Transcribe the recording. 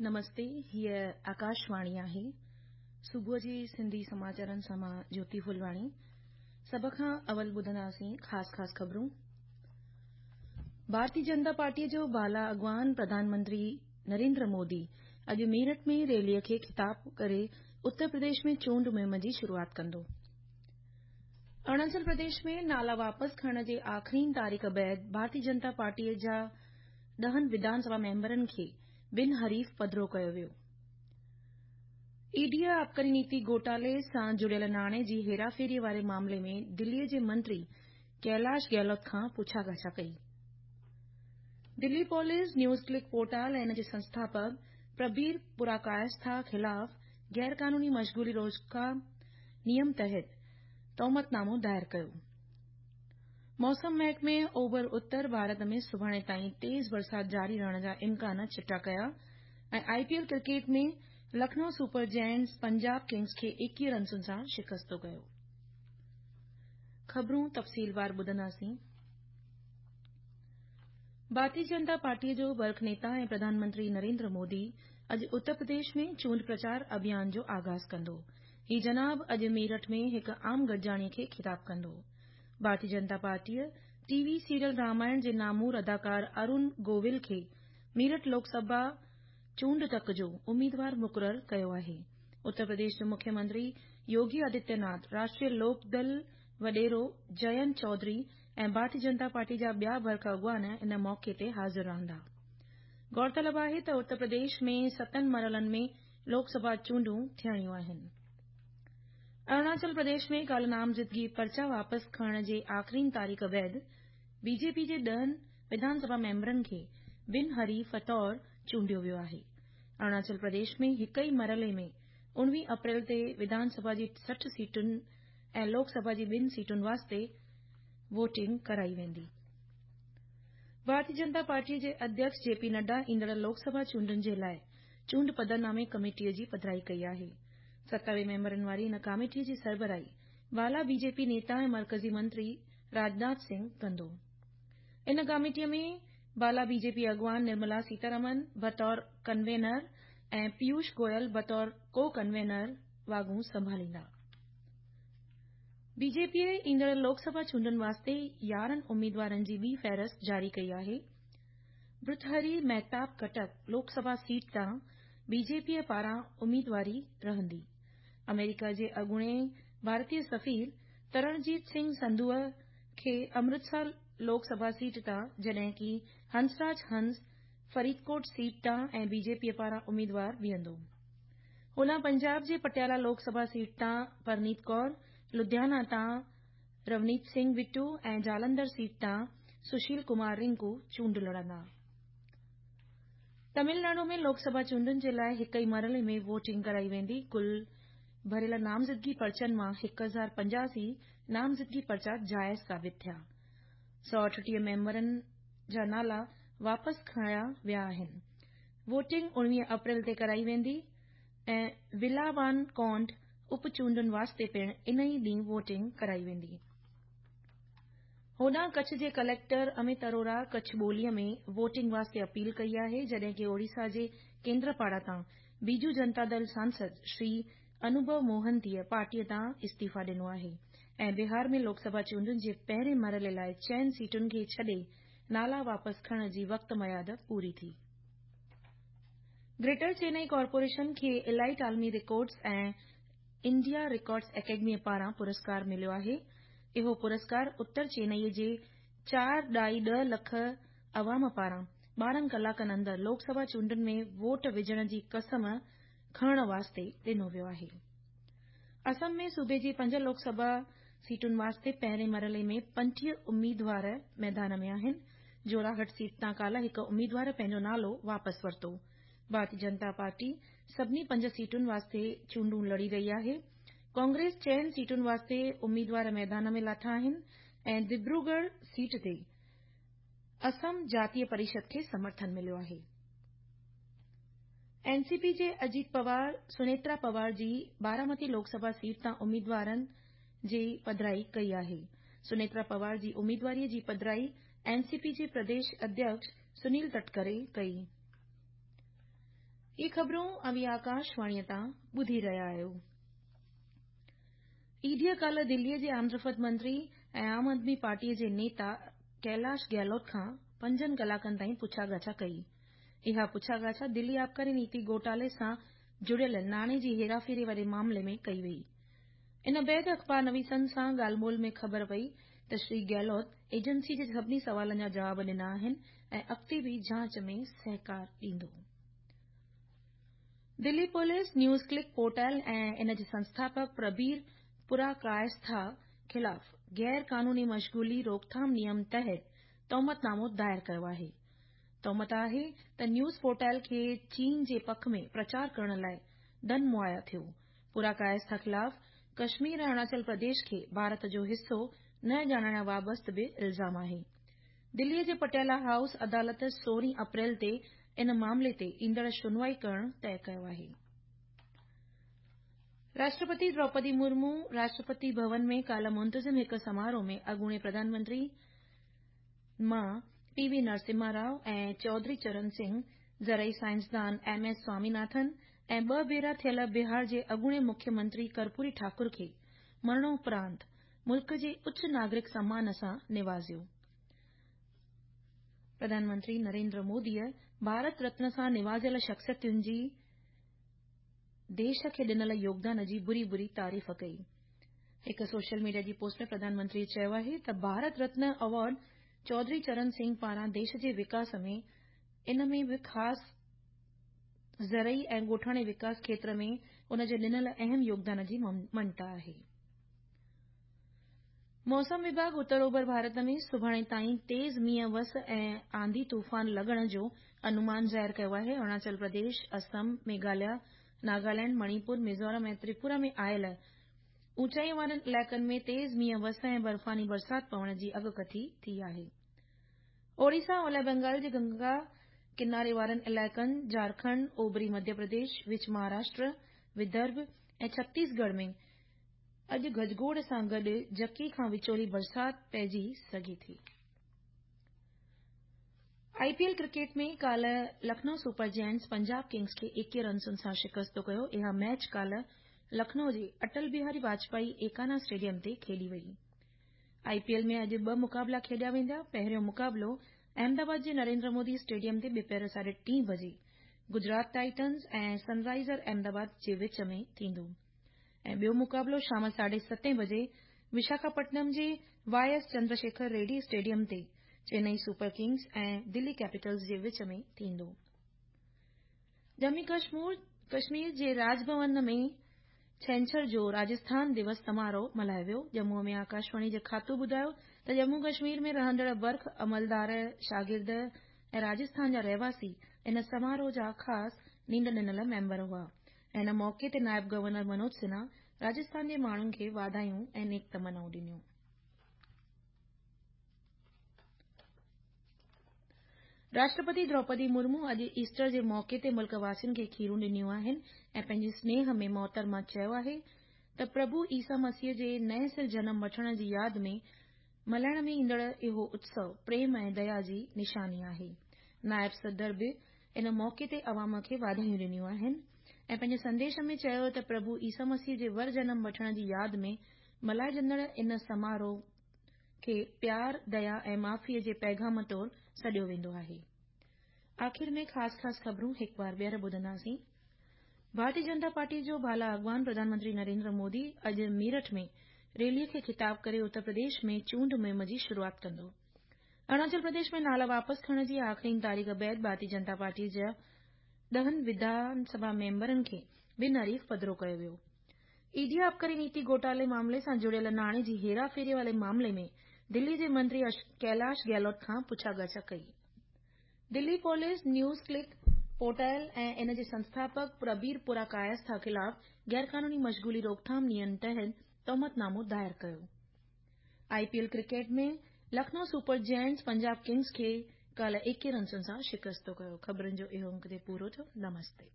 نمستي، هيء آڪاشواڻي آهي. صبح جي سنڌي سماچارن سان مان جوتي ڦلواڻي. سڀ کان اول ٻڌنداسين خاص خاص خبرون. ڀارتي جنتا پارٽيء جو بالا اڳواڻ پرڌان منتري نريندر مودي اڄ ميرٺ ۾ ريليء کي خطاب ڪري اتر پرديش ۾ چونڊ مهم جي شروعات ڪندو. اروناچل پرديش ۾ نالا واپس کڻڻ جي آخرين تاريخ بعد ڀارتي جنتا پارٽيء جا ڏهن وڌان سڀا ميمبرن کي بن حريف پڌرو ڪيو ويو. اي ڊيء آبڪاري نيتي گهوٽالي سان جڙيل ناڻي جي هيراڦيريء واري معاملي ۾ دليء جي منتري ڪيلاش گهلوت کان پڇا ڳاڇا ڪئي. Delhi police news click portal ۽ ان جي سنسٿاپڪ پربير پوراڪايسٿا خلاف غيرقانوني مشغولي روڪٿام نيم تحت تهمت نامو دائر ڪيو. موسم محڪمي اوڀر اتر ڀارت ۾ سڀاڻي تائين تيز برسات جاري رهڻ جا امڪان چٽا ڪيا ۽ I P L cricket ۾ Lucknow super giants Punjab kings کي 21 رنسن سان شڪستو ڪيو. خبرون تفصيلوار ٻڌنداسين. ڀارتي جنتا پارٽيء جو برک نيتا ۽ پرڌان منتري نريندر مودي اڄ اتر پرديش ۾ چونڊ پرچار اڀيان جو آغاز ڪندو. هي جناب اڄ ميرٺ ۾ هڪ عام گڏجاڻيء کي خطاب ڪندو. ڀارتي جنتا پارٽيء ٽي وي سيريل رامائڻ جي نامور اداڪار ارون گوويل کي ميرٺ لوڪ سڀا چونڊ تڪ جو اميدوار مقرر ڪيو آهي. اتر پرديش جو مکيه منتري يوگي آدتيه ناٿ، راشٽريه لوڪ دل وڏيرو جئنت چوڌري ۽ ڀارتي جنتا پارٽي جا ٻيا برک اڳواڻ ان موقعي تي حاضر رهندا. غور طلب آهي ته اتر پرديش ۾ ستن مرحلن ۾ لوڪ سڀا چونڊون ٿيڻيون آهن. اروناچل پرديش ۾ ڪالهه نامزدگي پرچا واپس کڻڻ جي آخرين تاريخ بعد بي جي پي جي ڏهن وڌان سڀا ميمبرن کي بن حريف طور چونڊيو ويو آهي. اروناچل پرديش ۾ هڪ ئي مرحلي ۾ 19 اپريل تي وڌان سڀا جي 60 سيٽن ۽ لوڪ سڀا جي ٻن سيٽن واسطي ووٽنگ ڪرائي ويندي. ڀارتي جنتا پارٽيء جي اڌيڪش جي پي نڊا ايندڙ لوڪ سڀا چونڊن جي لاء چونڊ پڌرنامي ڪميٽيء جي پڌرائي ڪئي آهي. 27 ميمبرن واري ان ڪاميٽيء جي سربراهي بالا بي جي پي نيتا ۽ مرڪزي منتري راجناٿ سنگهه ڪندو. ان ڪاميٽيء ۾ بالا بي جي پي اڳواڻ نرملا سيتارامن بطور ڪنوينر ۽ پيوش گويل بطور ڪو ڪنوينر واڳون سنڀاليندا. بي جي پيء ايندڙ لوڪ سڀا چونڊن واسطي 11 اميدوارن جي ٻي فهرست جاري ڪئي آهي. برٿهري مهتاب ڪٽڪ لوڪ سڀا سيٽ تان بي جي پيء پاران اميدواري رهندي. آمريڪا جي اڳوڻي ڀارتي سفير ترڻجيت سنگهه سنڌوء کي امرتسر لوڪ سڀا سيٽ تان جڏهن ڪي هنسراج هنس فريدڪوٽ سيٽ تان ۽ بي جي پيء پاران اميدوار بيهندو. هوڏانهن پنجاب جي پٽيالا لوڪ سڀا سيٽ تان پرنيت ڪور، لڌيانا تان رونيت سنگهه بٽو ۽ جالنڌر سيٽ تان سشيل ڪمار رنڪو چونڊ لڙندا. تمل ناڊو ۾ لوڪ سڀا چونڊن جي لاء هڪ ئي مرحلي ۾ ووٽنگ ڪرائي ويندي. ڪل ڀريل نامزدگي پرچن مان 1085 نامزدگي پرچا جائز ثابت ٿيا. 138 ميمبرن جا نالا واپس کنيا ويا آهن. ووٽنگ 19 اپريل تي ڪرائي ويندي ۽ ولاوان ڪونڊ اپ چونڊن واسطي پڻ ان ئي ڏينهن ووٽنگ ڪرائي ويندي. هوڏانهن ڪڇ جي ڪليڪٽر اميت اروڙا ڪڇ ٻوليء ۾ ووٽنگ واسطي اپيل ڪئي آهي جڏهن ڪي اوڙيسا جي ڪيندرپاڙا تان بيجو جنتا دل سانسد شري انوڀو موهنتيء پارٽيء تان استعيفا ڏنو آهي ۽ بهار ۾ لوڪ سڀا چونڊن جي پهرين مرحلي لاء چئن سيٽن کي ڇڏي نالا واپس کڻڻ جي وقت ميعاد پوري ٿي. گريٽر چينئي ڪارپوريشن کي الائيٽ عالمي رڪارڊز ۽ انڊيا رڪارڊز اڪيڊميء پاران پرسڪار مليو آهي. اهو پرسڪار اتر چينئي جي 4.10 لک عوام پاران 12 ڪلاڪن اندر لوڪ سڀا چونڊن ۾ ووٽ وجهڻ جي قسم کڻڻ واسطي ڏنو ويو آهي. اسم ۾ صوبي جي پنج لوڪ سڀا سيٽن واسطي پهرين مرحلي ۾ 35 اميدوار ميدان ۾ آهن. جوراهٽ سيٽ تان ڪالهه هڪ اميدوار پنهنجو نالو واپس ورتو. ڀارتي جنتا پارٽي سڀني پنج سيٽن واسطي چونڊون لڙي رهي آهي. ڪانگريس چئن سيٽن واسطي اميدوار ميدان ۾ لاٿا آهن ۽ دبروڳڙهه سيٽ تي اسم جاتيه پريشد کي سمرٿن مليو آهي. اين سي پي جي اجيت پوار سنيترا پوار جي بارامتي لوڪ سڀا سيٽ تان اميدوارن جي پڌرائي ڪئي آهي. سنيترا پوار جي اميدواريء جي پڌرائي اين سي پي جي پرديش اڌيڪش سنيل تٽڪري ڪئي. هي خبرون اوهين آڪاشواڻيء تان ٻڌي رهيا آهيو. اي ڊيء ڪالهه دليء جي آمدرفت منتري ۽ عام آدمي پارٽيء جي نيتا ڪيلاش گهلوت کان پنجن ڪلاڪن تائين پڇا ڳاڇا ڪئي. اها پڇا ڳاڇا دلي آبڪاري نيتي گهوٽالي سان جڙيل ناڻي جي هيراڦيري واري معاملي ۾ ڪئي وئي. ان بعد اخبار نويسن سان ڳالهه ٻولهه ۾ خبر پئي ته شري گهلوت ايجنسي جي سڀني سوالن جا جواب ڏنا آهن ۽ اڳتي به جاچ ۾ سهڪار ڏيندو. دلي پوليس نيوز ڪلڪ پورٽل ۽ ان جي سنسٿاپڪ پربير پوراڪايسٿا خلاف غير قانوني مشغولي روڪٿام نيم تحت تهمت نامو دائر ڪيو آهي. تهمت آهي ته نيوز پورٽل کي چين جي پک ۾ پرچار ڪرڻ لاء ڌن مهيا ٿيو. پوراڪايسٿا خلاف ڪشمير ۽ اروناچل پرديش کي ڀارت جو حصو نه ڄاڻائڻ وابسته به الزام آهي. دليء جي پٽيالا هائوس عدالت 16 اپريل تي ان معاملي تي ايندڙ شنوائي ڪرڻ طئي ڪيو آهي. راشٽرپتي دروپدي مرمو راشٽرپتي ڀون ۾ ڪالهه منتظم هڪ سماروهه ۾ اڳوڻي پرڌان منتري مان پي وي نرسمها رائو ۽ چوڌري چرن سنگهه، زرعي سائنسدان ايم ايس سواميناٿن ۽ ٻه ڀيرا ٿيل بهار جي اڳوڻي مکيه منتري ڪرپوري ٺاڪر کي مرڻوپرانت ملڪ جي اچ ناگرڪ سمان سان نوازيو. پرڌان منتري نريندر موديء ڀارت رتن سان نوازيل شخصيتن جي ديش کي ڏنل يوگدان جي ڀري ڀري تعريف ڪئي. هڪ سوشل ميڊيا جي پوسٽ ۾ پرڌان منتريء چيو آهي ته ڀارت رتن ايوارڊ چوڌري چرن سنگهه پاران ديش جي وڪاس ۾ ان ۾ به خاص زرعي ۽ ڳوٺاڻي وڪاس کيتر ۾ ان جي ڏنل اهم يوگدان جي مڃتا آهي. موسم وڀاڳ اتر اوڀر ڀارت ۾ سڀاڻي تائين تيز مينهن وس ۽ آنڌي طوفان لڳڻ جو انومان ظاهر ڪيو آهي. اروناچل پرديش، اسم، ميگهاليا، ناگالينڊ، مڻيپور، ميزورم ۽ تريپورا ۾ آيل اوچائي وارن علائقن ۾ تيز مينهن وس ۽ برفاني برسات پوڻ جي اڳڪٿي ٿي آهي. اوڙيسا، اولهه بنگال جي گنگا ڪناري وارن علائقن، جهارکنڊ، اوڀري مڌيه پرديش، وچ مهاراشٽر، ودرڀ ۽ ڇتيسڳڙهه ۾ اڄ گجگوڙ سان گڏ جهڪي کان وچولي برسات پئجي سگهي ٿي. آء پي ايل ڪرڪيٽ ۾ ڪالهه Lucknow super giants Punjab kings کي 21 رنسن سان شڪست ڪيو. اها ميچ ڪالهه لکنؤ جي اٽل بهاري واجپائي ايڪانا اسٽيڊيم تي کيڏي وئي. آء پي ايل ۾ اڄ ٻه مقابلا کيڏيا ويندا. پهريون مقابلو احمدآباد جي نريندر مودي اسٽيڊيم تي ٻپهر ساڍي ٽين بجي گجرات ٽائٽنز ۽ سن رائيزر احمدآباد جي وچ ۾ ٿيندو. ۽ ٻيو مقابلو شام ساڍي ستين بجي وشاکاپٽنم جي Y S Chandrasekhar Reddy stadium تي چينئي سپر ڪنگز ۽ دلي ڪيپيٽلز جي وچ ۾ ٿيندو. ڄمون ڪشمير جي راڄ ڀون ۾ ڇنڇر جو راجسٿان دوس سماروهه ملهايو ويو. ڄمون ۾ آڪاشواڻي جي کاتو ٻڌايو ته ڄمون ڪشمير ۾ رهندڙ برک عملدار، شاگرد ۽ راجسٿان جا رهواسي ان سماروهه جا خاص نينڍ ڏنل ميمبر هئا. ان موقعي تي نائب گورنر منوج سنها راجسٿان جي ماڻهن کي واڌايون ۽ نيڪ تمنائون ڏنيون. راشٽرپتي دروپدي مرمو اڄ ايسٽر جي موقعي تي ملڪ واسين کي کيرون ڏنيون آهن ۽ پنهنجي سنيهه ۾ محترمه چيو آهي ته پرڀو عيسيٰ مسيح جي نئين سر جنم وٺڻ جي ياد ۾ ملهائڻ ۾ ايندڙ اهو اتسو پريم ۽ ديا جي نشاني آهي. نائب صدر به ان موقعي تي عوام کي واڌايون ڏنيون آهن ۽ پنهنجي سنديش ۾ چيو ته پرڀو عيسيٰ مسيح جي ور جنم وٺڻ جي ياد ۾ ملهائجندڙ ان سماروهه کي پيار، ديا ۽ معافيء جي پيغام طور سڏيو ويندو آهي. آخر ۾ خاص خاص خبرون هڪ بار ٻيهر ٻڌنداسين. ڀارتي جنتا پارٽي جو بالا اڳواڻ پرڌان منتري نريندر مودي اڄ ميرٺ ۾ ريلي کي خطاب ڪري اتر پرديش ۾ چونڊ مهم جي شروعات ڪندو. اروناچل پرديش ۾ نالا واپس کڻڻ جي آخرين تاريخ بعد ڀارتي جنتا پارٽي جي ڏهن وڌان سڀا ميمبرن کي بن حريف پڌرو ڪيو ويو. اي ڊي آبڪاري نيتي گهوٽالي معاملي سان جڙيل ناڻي جي هيراڦيري واري معاملي ۾ دلي جي منتري ڪيلاش گهلوت کان پڇا ڳاڇا ڪئي. دلي پوليس نيوز ڪلڪ پورٽل ۽ ان جي سنسٿاپڪ پربير پوراڪايسٿا خلاف غيرقانوني مشغولي روڪٿام نيم تحت تهمت نامو دائر ڪيو. I P L cricket ۾ Lucknow super giants Punjab kings کي ڪالهه 21 رنسن سان شڪست ڪيو. خبرن جو اهو انگ تي پورو ٿيو. نمستي.